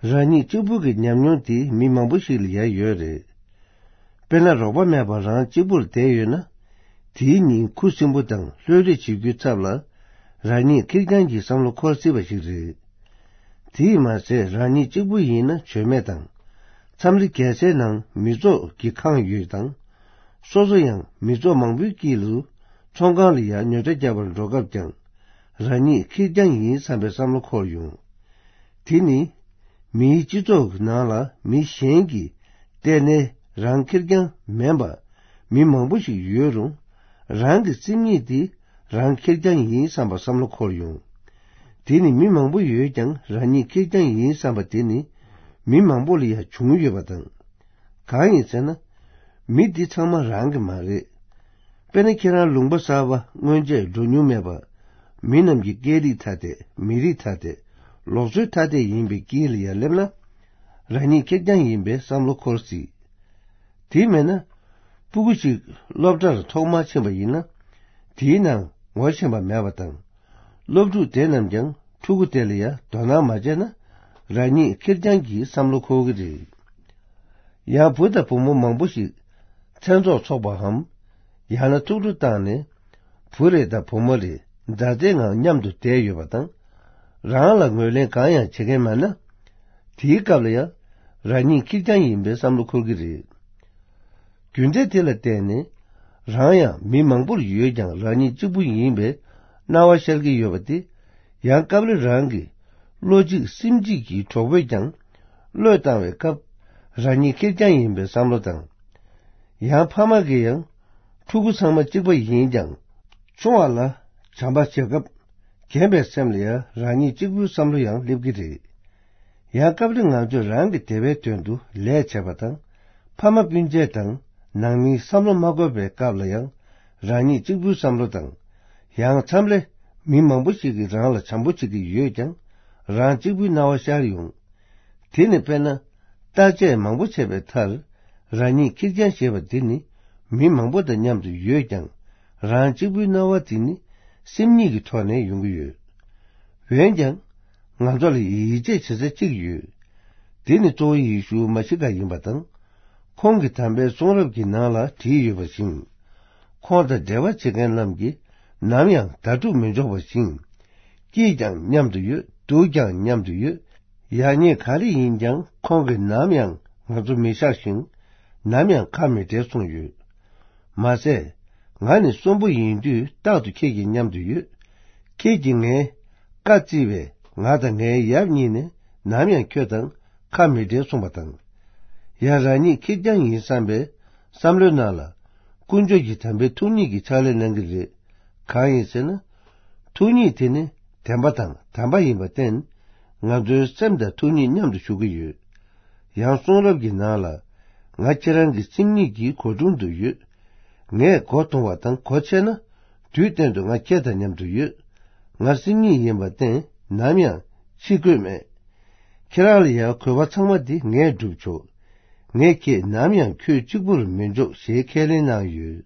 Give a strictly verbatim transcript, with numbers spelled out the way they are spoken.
རང་ཉིད་གཅིག་པུ་གི་ཉམས་མྱོང་དེ་མི་མང་པོ་ཞིག་ལ་ཡང་ཡོད་རེད། དཔེར་ན། རོགས་པ་མེད་པར་རང་གཅིག་པུར་བསྡད་ཡོད་ན། དེའི་ཉིན་ཁུ་སིམ་པོ་དང་ལྷོད་ལྷོད་བྱེད་རྒྱུའི་ཚབ་ལ། རང་ཉིད་ཁེར་རྐྱང་གི་བསམ་བློ་འཁོར་སྲིད་པ་ཞིག་རེད། དེས་མ་ཟད། རང་ཉིད་གཅིག་པུ་ཡིན་ན་བྱོན་མེད་དང་། མཚམས་རེ་རྒྱལ་སའི་ནང་མི་ཚོགས་ཀྱིས་ཁེངས་ཡོད་དང་། སོ་སོ་ཡང་མི་ཚོགས་མང་པོའི་དཀྱིལ་དུ་ཚོང་ཁང་ལ་ཡང་ཉོ་ཆ་རྒྱག་པར་འགྲོ་སྐབས་ཀྱང་། རང་ཉིད་ཁེར་རྐྱང་ཡིན་བསམ་པའི་བསམ་བློ་འཁོར་ཡོང་། དེ་ནི། མིའི་སྤྱི་ཚོགས་ཀྱི་ནང་ལ་མི་གཞན་གྱིས་བལྟས་ནས་རང་ཁེར་རྐྱང་མིན་པ། མི་མང་པོ་ཞིག་ཡོད་རུང་། རང་གི་སེམས་ཉིད་དེ་རང་ཁེར་རྐྱང་ཡིན་བསམ་པ་བསམ་བློ་འཁོར་ཡོང་། དེ་ནི་མི་མང་པོ་ཡོད་ཀྱང་རང་ཉིད་ཁེར་རྐྱང་ཡིན་བསམ་པ་དེ་ནི་མི་མང་པོ་ལ་ཡང་བྱུང་ཡོད་པ་དང་། གང་ཡིན་ཟེར་ན། མི་འདི་ཚང་མ་རང་གི་མ་རེད། དཔེར་ན། ཁྱེད་རང་ལུང་པ་གསར་པ་སྔོན་ཆད་འགྲོ་མྱོང་མེད་པ། མི་རྣམས་ཀྱི་སྐད་རིགས་ཐ་དད། མི་རིགས་ཐ་དད། ལུགས་སྲོལ་ཐ་དད་ཡིན་པའི་དཀྱིལ་ལ་ཡར་སླེབས་ན། རང་ཉིད་ཁེར་རྐྱང་ཡིན་པའི་བསམ་བློ་འཁོར་སྲིད། དེ་མེད་ན། སྤུ་གུ་ཞིག་སློབ་གྲྭར་ཐོག་མར་ཕྱིན་པ་ཡིན་ན། དེའི་ནང་ངོ་ཤེས་པ་མེད་པ་དང་། སློབ་ཕྲུག་དེ་རྣམས་ཀྱང་ཕྲུ་གུ་དེ་ལ་ཡང་དོ་སྣང་མ་བྱས་ན། རང་ཉིད་ཁེར་རྐྱང་གི་བསམ་བློ་འཁོར་གྱི་རེད། ཡང་བུ་དང་བུ་མོ་མང་པོ་ཞིག་མཚན་ཚོགས་འཚོགས་པའམ། ཡང་ན་ཐུགས་སྤྲོ་བཏང་ནས། བུ་རེ་དང་བུ་མོ་རེ་མཛའ་བརྩེའི་ངང་མཉམ་དུ་བསྡད་ཡོད་པ་དང་། རང་ལ་ངོས་ལེན་གང་ཡང་བྱེད་མཁན་མེད་ན། དེའི་སྐབས་ལ་ཡང་རང་ཉིད་ཁེར་རྐྱང་ཡིན་པའི་བསམ་བློ་འཁོར་གྱི་རེད། རྒྱུ་འབྲས་དེ་ལ་བརྟེན་ནས། རང་ཡང་མི་མང་པོར་ཡོད་ཀྱང་རང་ཉིད་གཅིག་པུ་ཡིན་པའི་སྣང་བ་ཤར་གྱི་ཡོད་པ་དེ། ཡང་སྐབས་རེ་རང་གི་བློ་གཅིག་སེམས་གཅིག་གི་གྲོགས་པོས་ཀྱང་བློས་བཏང་བའི་སྐབས། རང་ཉིད་ཁེར་རྐྱང་ཡིན་པའི་བསམ་བློ་དང་། ཡང་ཕ་མ་གིས་ཡང་ཕྲུ་གུ་ཚང་མ་གཅིག་པ་ཡིན་ཀྱང་། ཆུང་བ་ལ་བྱམས་པ་བྱེད་སྐབས། རྒན་པའི་སེམས་ལ་ཡང་རང་ཉིད་གཅིག་པུའི་བསམ་བློ་ཡང་སླེབས་ཀྱི་རེད། ཡང་སྐབས་རེ་ང་ཚོས་རང་གི་བདེ་བའི་དོན་དུ་ལས་བྱེད་པ་དང་། ཕ་མ་སྤུན་མཆེད་དང་ནང་མིའི་བསམ་བློ་མ་འཁོར་བའི་སྐབས་ལ་ཡང་རང་ཉིད་གཅིག་པུའི་བསམ་བློ་དང་། ཡང་མཚམས་རེ་མི་མང་པོ་ཞིག་གིས་རང་ལ་བྱམས་པོ་བྱེད་ཀྱི་ཡོད་ཀྱང་། རང་གཅིག་པུའི་སྣང་བ་ཤར་ཡོང་། དེ་ནི་དཔེར་ན། བརྟག་དཔྱད་མང་པོ་བྱས་པའི་མཐར། རང་ཉིད་ཁེར་རྐྱང་ཞེས་པ་འདི་ནི་མི་མང་པོ་དང་མཉམ་དུ་ཡོད་ཀྱང་། རང་གཅིག་པུའི་སྣང་བ་དེ་ནི་སེམས་ཉིད་ཀྱི་ཐོག་ནས་ཡོང་གི་ཡོད། འོན་ཀྱང་། ང་ཚོ་ལ་ཡིད་ཆེས་བྱེད་ས་གཅིག་ཡོད། དེ་ནི་གཙོ་བོ་ཡེ་ཤུ་མ་ཤི་ཀ་ཡིན་པ་དང་། ཁོང་གིས་དམ་པའི་གསུང་རབ་ཀྱི་ནང་ལ་བྲིས་ཡོད་པ་བཞིན། ཁོང་དང་འབྲེལ་བ་བྱེད་མཁན་རྣམས་ཀྱིས་ནམ་ཡང་དྭ་ཕྲུག་མི་འཇོག་པ་བཞིན། སྐྱིད་ཀྱང་མཉམ་དུ་ཡོད། སྡུག་ཀྱང་མཉམ་དུ་ཡོད། ཡག་ཉེས་ག་རེ་ཡིན་ཀྱང་ཁོང་གིས་ནམ་ཡང་ང་ཚོ་མི་བཞག་ཞིང་། ནམ་ཡང་ཁ་མི་འབྲལ་གསུངས་ཡོད། མ་ཟད། ང་ནི་གསོན་པོ་ཡིན་དུས་རྟག་ཏུ་ཁྱེད་ཀྱི་མཉམ་དུ་ཡོད། ཁྱེད་ཀྱིས་ངའི་བཀའ་བརྩི་བས་ང་དང་ངའི་ཡབ་གཉིས་ནི་ནམ་ཡང་ཁྱོད་དང་ཁ་མི་འབྲལ་གསུངས་པ་དང་། ཡང་རང་ཉིད་ཁེར་རྐྱང་ཡིན་བསམ་པའི་བསམ་བློའི་ནང་ལ། དཀོན་མཆོག་གི་དམ་པའི་ཐུགས་ཉིད་ཀྱི་ཕྱག་ལས་གནང་གི་རེད། གང་ཡིན་ཟེར་ན། ཐུགས་ཉིད་དེ་ནི་བདེན་པ་དང་དམ་པ་ཡིན་པར་བརྟེན། ང་ཚོའི་སེམས་དང་ཐུགས་ཉིད་མཉམ་དུ་བཞུགས་ཀྱི་ཡོད། ཡང་གསུང་རབ་ཀྱི་ནང་ལ། ང་ཁྱེད་རང་གི་སེམས་ཉིད་ཀྱི་སྒོ་དྲུང་དུ་ཡོད། ངས་སྒོ་རྡུང་བ་དང་སྒོ་ཕྱེ་ན། དུས་གཏན་དུ་ང་ཁྱེད་དང་མཉམ་དུ་ཡོད། ང་སེམས་ཉིད་ཡིན་པར་བརྟེན་ནམ་ཡང་ཕྱི་བཀོད་མེད། ཁྱེད་རང་ལ་ཡང་དགོས་པ་ཚང་མ་འདི་ངས་བསྒྲུབ་ཆོག། ངས་ཁྱེད་ནམ་ཡང་ཁྱོད་གཅིག་པུར་མི་འཇོག་ཞེས་ཁས་ལེན་གནང་ཡོད།